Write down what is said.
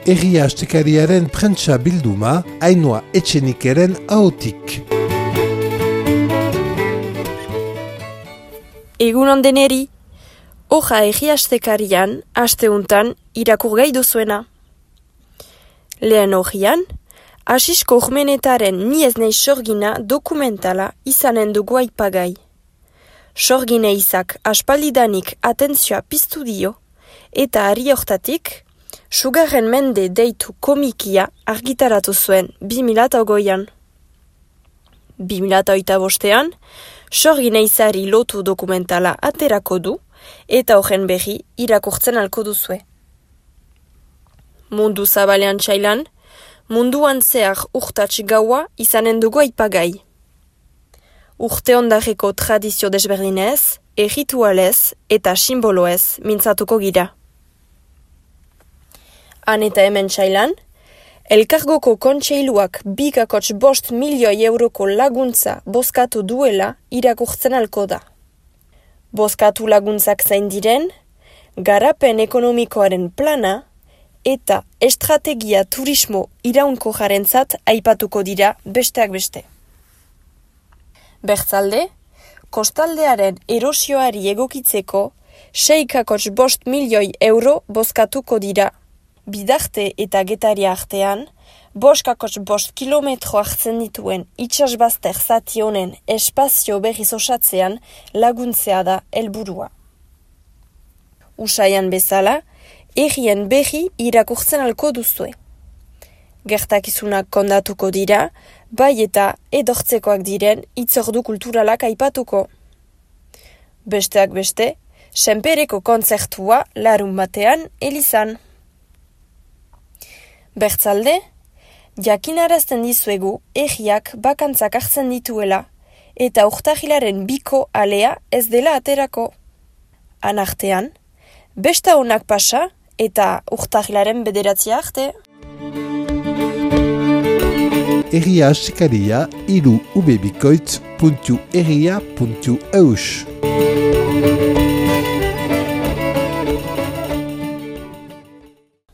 Egia astekariaren prentsa bilduma, Ainhoa Etxenikeren ahotik. Egunon deneri, hoja egia astekarian, asteuntan, irakur gai duzuena. Lehen hojian, Asisko Urmenetaren Ni ez naiz sorgina dokumentala izanen dugu aipagai. Sorgine izak aspaldidanik atentzioa piztu dio, eta ari hortatik, Sugarren mende deitu komikia argitaratu zuen 2008an. 2008an, sorgine izari lotu dokumentala aterako du, eta horren berri irakurtzen alko duzue. Mundu zabalean txailan, munduan zehar urtats gaua izanen dugu aipagai. Urte ondareko tradizio desberdinez, erritualez eta simboloez mintzatuko gira. Han eta hemen txailan, Elkargoko kontseiluak 2,5 milioi euroko laguntza bozkatu duela irakurtzen alko da. Bozkatu laguntzak zain diren, garapen ekonomikoaren plana eta estrategia turismo iraunko jarentzat aipatuko dira besteak beste. Bertzalde, kostaldearen erosioari egokitzeko 6,5 milioi euro bozkatuko dira. Bidarte eta Getaria artean, 5,5 kilometro hartzen dituen itsasbazter zati honen espazio berriz osatzean laguntzea da helburua. Usaian bezala, errien berri irakurtzen alko duzue. Gertakizunak kondatuko dira, bai eta edortzekoak diren hitzordu kulturalak aipatuko. Besteak beste, senpereko kontzertua larun batean elizan. Bertzalde, jakinarazten dizuegu erriak bakantzak hartzen dituela eta urtahilaren 2ko alea ez dela aterako. Han artean, besta honak pasa eta urtahilaren 9 arte. Egia astekaria, 3ubebikoitz.egia.eus.